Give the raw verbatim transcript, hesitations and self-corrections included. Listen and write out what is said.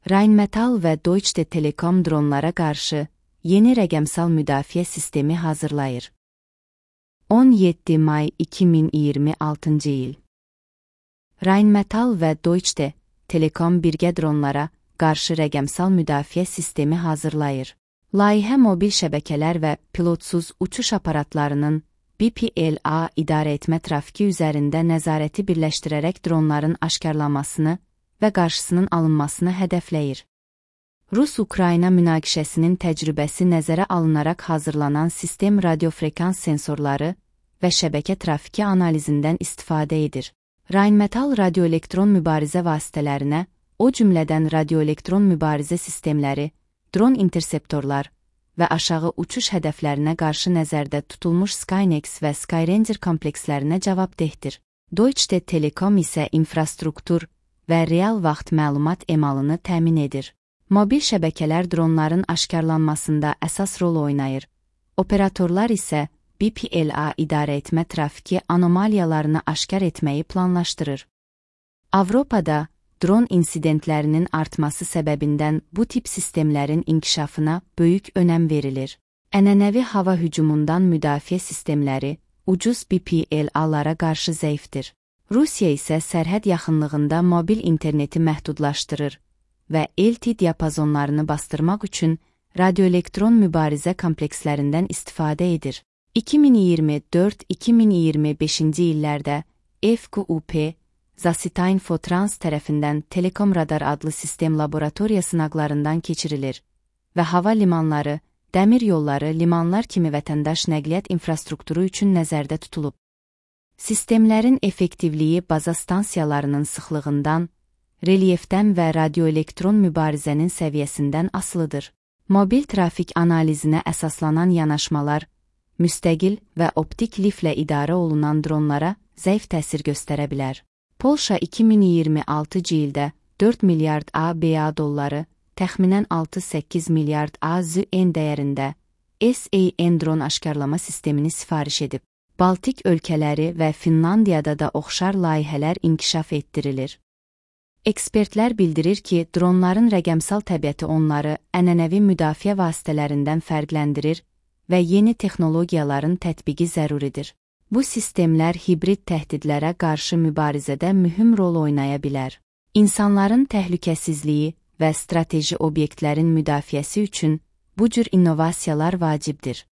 Rheinmetall və Deutsche Telekom dronlara qarşı yeni rəqəmsal müdafiə sistemi hazırlayır. on yeddi may iki min iyirmi altıncı il. Rheinmetall və Deutsche Telekom birgə dronlara qarşı rəqəmsal müdafiə sistemi hazırlayır. Layihə mobil şəbəkələr və pilotsuz uçuş aparatlarının B P L A idarəetmə trafiki üzərində nəzarəti birləşdirərək dronların aşkarlanmasını və qarşısının alınmasını hədəfləyir. Rus-Ukrayna münaqişəsinin təcrübəsi nəzərə alınaraq hazırlanan sistem radiofrekans sensorları və şəbəkə trafiki analizindən istifadə edir. Rheinmetall radioelektron mübarizə vasitələrinə, o cümlədən radioelektron mübarizə sistemləri, dron interseptorlar və aşağı uçuş hədəflərinə qarşı nəzərdə tutulmuş Skynex və Skyranger komplekslərinə cavabdehdir. Deutsche Telekom isə infrastruktur və real vaxt məlumat emalını təmin edir. Mobil şəbəkələr dronların aşkarlanmasında əsas rol oynayır. Operatorlar isə B P L A idarəetmə trafiki anomaliyalarını aşkar etməyi planlaşdırır. Avropada dron insidentlərinin artması səbəbindən bu tip sistemlərin inkişafına böyük önəm verilir. Ənənəvi hava hücumundan müdafiə sistemləri ucuz B P L A-lara qarşı zəifdir. Rusiya isə sərhəd yaxınlığında mobil interneti məhdudlaşdırır və L T diapazonlarını bastırmaq üçün radioelektron mübarizə komplekslərindən istifadə edir. iki min iyirmi dörd iki min iyirmi beşinci illərdə F Q U P Zasitainfotrans tərəfindən Telekom Radar adlı sistem laboratoriya sınaqlarından keçirilir və hava limanları, dəmir yolları, limanlar kimi vətəndaş nəqliyyat infrastrukturu üçün nəzərdə tutulub. Sistemlərin effektivliyi baza stansiyalarının sıxlığından, relyefdən və radioelektron mübarizənin səviyyəsindən asılıdır. Mobil trafik analizinə əsaslanan yanaşmalar, müstəqil və optik liflə idarə olunan dronlara zəif təsir göstərə bilər. Polşa iki min iyirmi altıncı ildə dörd milyard A B A dolları, təxminən altı səkkiz milyard A Z N dəyərində S A N dron aşkarlama sistemini sifariş edib. Baltik ölkələri və Finlandiyada da oxşar layihələr inkişaf etdirilir. Ekspertlər bildirir ki, dronların rəqəmsal təbiəti onları ənənəvi müdafiə vasitələrindən fərqləndirir və yeni texnologiyaların tətbiqi zəruridir. Bu sistemlər hibrid təhdidlərə qarşı mübarizədə mühüm rol oynaya bilər. İnsanların təhlükəsizliyi və strateji obyektlərin müdafiəsi üçün bu cür innovasiyalar vacibdir.